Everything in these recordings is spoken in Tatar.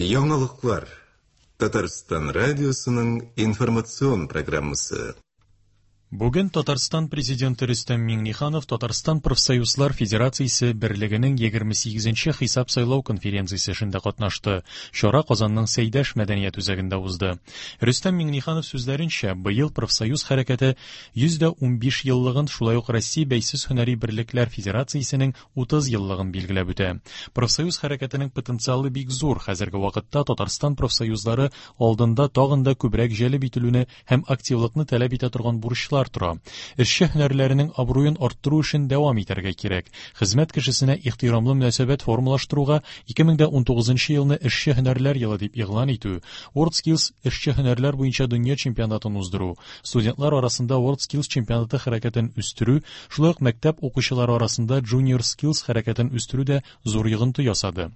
Яңалыклар. Татарстан радиосының информацион программасы. Бүген Татарстан Президенты Рөстәм Миңнеханов Татарстан Профсоюзлар Федерациясе берлегенең 28 нче хисап-сайлау конференциясе эшендә катнашты. Чара Казанның Сәйдәш мәдәният үзәгендә узды. Рөстәм Миңнеханов сүзләренчә, быел профсоюз хәрәкәте 115 еллыгын, шулай ук Россия бәйсез һөнәри берлекләр федерациясенең 30 еллыгын билгеләп үтә. Профсоюз хәрәкәтенең потенциалы бик зур. Хәзерге вакытта Татарстан профсоюзлары алдында тагын да күбрәк җәлеп ителүне һәм активлыкны таләп итә торган бурычлар тора. Эшче һөнәрләренең абруен арттыру эшен дәвам итәргә кирәк. Хезмәт кешесенә ихтирамлы мөнәсәбәт формалаштыруга 2019 елны эшче һөнәрләр елы дип игълан итү, WorldSkills эшче һөнәрләр буенча дөнья чемпионатын уздыру, студентлар арасында WorldSkills чемпионаты хәрәкәтен үстерү, шулай ук мәктәп укучылары арасында Junior Skills хәрәкәтен үстерү дә зур йогынты ясады.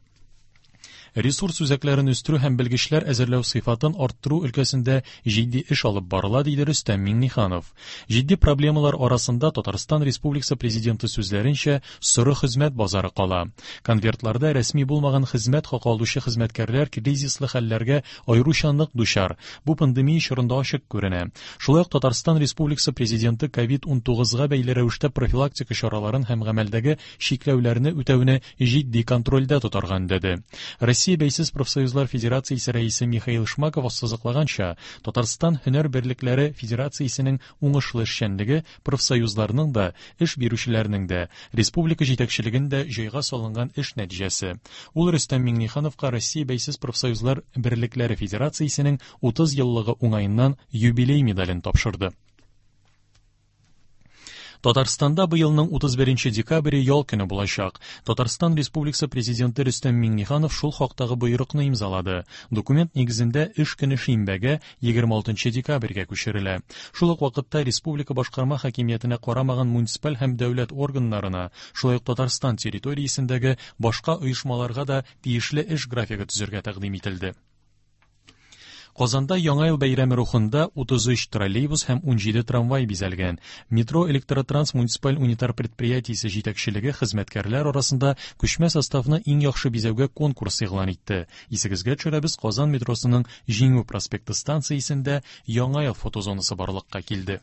Ресурс үзәкләрен үстерү һәм белгечләр әзерләү сыйфатын арттыру өлкәсендә җитди эш алып барыла, диде Рөстәм Миңнеханов. Җитди проблемалар арасында Татарстан Республикасы Президенты сүзләренчә, соры хезмәт базары кала. Конвертларда рәсми булмаган хезмәт хакы алучы хезмәткәрләр кризислы хәлләргә аеруча нык дучар. Бу пандемия чорында ачык күренә. Шулай ук Татарстан Республикасы Президенты ковид-19 га бәйле рәвештә профилактика чараларын һәм гамәлдәге чикләүләрне үтәүне җитди контрольдә тотарга өндәде. Россия бәйсез профсоюзлар федерациясе рәисе Михаил Шмаков ассызыклаганча, Татарстан һөнәр берлекләре федерациясенең уңышлы эшчәнлеге профсоюзларның да, эш бирүчеләрнең дә, республика җитәкчелеген дә җайга салынган эш нәтиҗәсе. Ул Рөстәм Миңнехановка Россия бәйсез профсоюзлар берлекләре федерациясенең 30 еллыгы уңаеннан юбилей медален тапшырды. Татарстанда быелның 31 декабре ял көне булачак. Татарстан Республикасы Президенты Рөстәм Миңнеханов шул хактагы боерыкны имзалады. Документ нигезендә эш көне шимбәгә, 26 декабрьгә күчерелә. Шул ук вакытта республика башкарма хакимиятенә карамаган муниципаль һәм дәүләт органнарына, шулай ук Татарстан территориясендәге башка оешмаларга да тиешле эш графигы төзергә тәкъдим ителде. Казанда Яңа ел бәйрәме рухында 33 троллейбус һәм 17 трамвай бизәлгән. Метро Электротранс муниципаль унитар предприятиесе җитәкчелеге хезмәткәрләр арасында күчмә составны иң яхшы бизәүгә конкурс игълан итте. Исегезгә төшерәбез, Казан метросының Җиңү проспекты станциясендә Яңа ел фотозонасы барлыкка килде.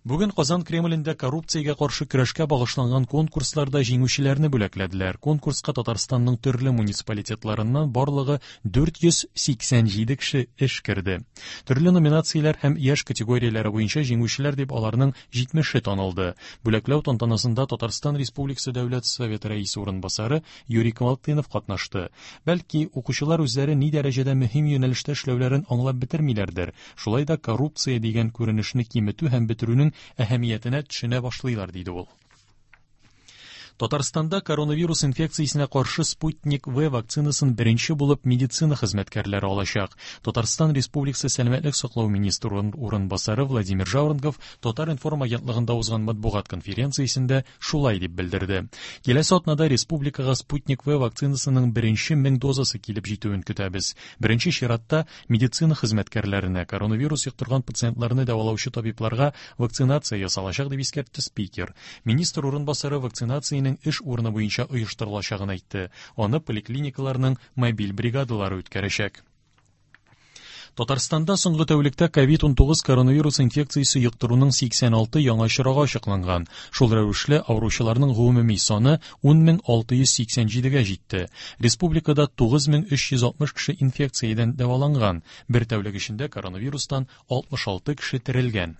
Бүген Казан Кремлендә коррупциягә каршы көрәшкә багышланган конкурсларда җиңүчеләрне бүләкләделәр. Конкурска Татарстанның төрле муниципалитетларыннан барлыгы 487 кеше эш керде. Төрле номинацияләр һәм яшь категорияләре буенча җиңүчеләр дип аларның 70-е танылды. Бүләкләү тантанасында Татарстан Республикасы Дәүләт Советы Рәисе урынбасары Юрий Камалтынов катнашты. Бәлки, укучылар үзләре ни дәрәҗәдә мөһим юнәлештә эшләүләрен аңлап бетермиләрдер. Шулай да коррупция дигән күренешне киметү һәм бетерүнең әһәмиятенә төшенә башлыйлар, диде ул. Татарстанда коронавирус инфекциясенә каршы Спутник В вакцинасын беренче булып медицина хезмәткәрләре алачак. Татарстан Республикасы сәламәтлек саклау министры урынбасары Владимир Жаворонков Татар-информ агентлыгында узган матбугат конференциясендә шулай дип белдерде. Киләсе атнада республикага Спутник В вакцинасының беренче 1000 дозасы килеп җитүен көтәбез. Беренче чиратта медицина хезмәткәрләренә, коронавирус йоктырган пациентларны дәвалаучы табибларга вакцинация ясалачак, дип искәртте спикер. Министр урынбасары вакцинациянең эш урыны буенча оештырылачагын әйтте. Аны поликлиникаларның мобиль бригадалары үткәрәчәк. Татарстанда соңгы тәүлектә ковид-19 коронавирус инфекциясе йоктыруның 86 яңа очрагы ачыкланган. Шул рәвешле авыручыларның гомуми саны 10687-гә җитте. Республикада 9360 кеше инфекциядән дәваланган. Бер тәүлек эчендә коронавирустан 66 кеше терелгән.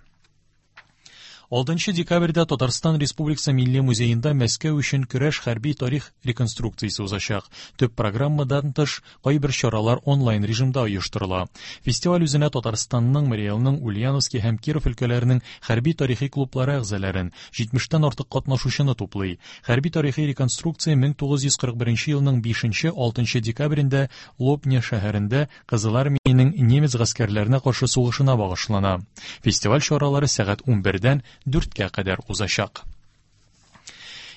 6 декабрьдә Татарстан Республикасы Милли музеенда Мәскәү өчен көрәш хәрби тарих реконструкциясе узачак. Төп программадан тыш, кайбер чаралар онлайн режимда оештырыла. Фестиваль үзенә Татарстанның, Марий Элның, Ульяновский һәм Киров өлкәләренең хәрби-тарихи клублары әгъзаларын, 70-тән артык катнашучыны туплый. Хәрби-тарихи реконструкция 1941 елның 5-6 декабрендә Лобня шәһәрендә Кызыл Армиянең немец гаскәрләренә каршы сугышына багышлана. Фестиваль чаралары сәгать 11-дән 4-кә кадәр узачак.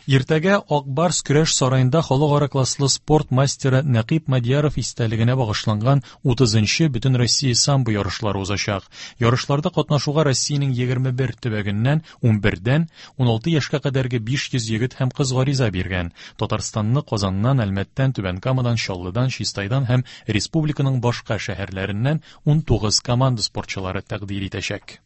Иртәгә Ак Барс көрәш сараенда халыкара класслы спорт мастеры Нәкыйп Мадьяров истәлегенә багышланган 30 нчы Бөтенроссия самбо ярышлары узачак. Ярышларда катнашуга Россиянең 21 төбәгеннән 11дән 16 яшькә кадәрге 500 егет һәм кыз гариза биргән. Татарстанны Казаннан, Әлмәттән, Түбән Камадан, Чаллыдан, Чистайдан һәм республиканың башка шәһәрләреннән 19 команда спортчылары тәкъдир итәчәк.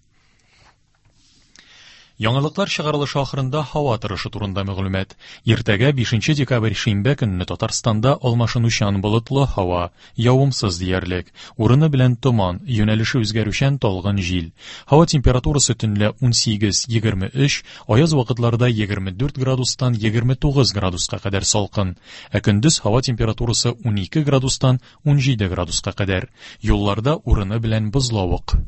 Яңалыклар чыгарылышы ахырында һава торышы турында мәгълүмат. Иртәгә 5 декабрь шимбә көнне Татарстанда алмашынучан болытлы һава, явымсыз диярлек. Урыны белән томан, юнәлеше үзгәрүчән талгын җил. Һава температурасы төнлә 18-23, аяз вакытларда 24 градустан 29 градуска кадәр салкын. Ә көндез һава температурасы 12 градустан 17 градуска кадәр. Юлларда урыны белән бозлавык.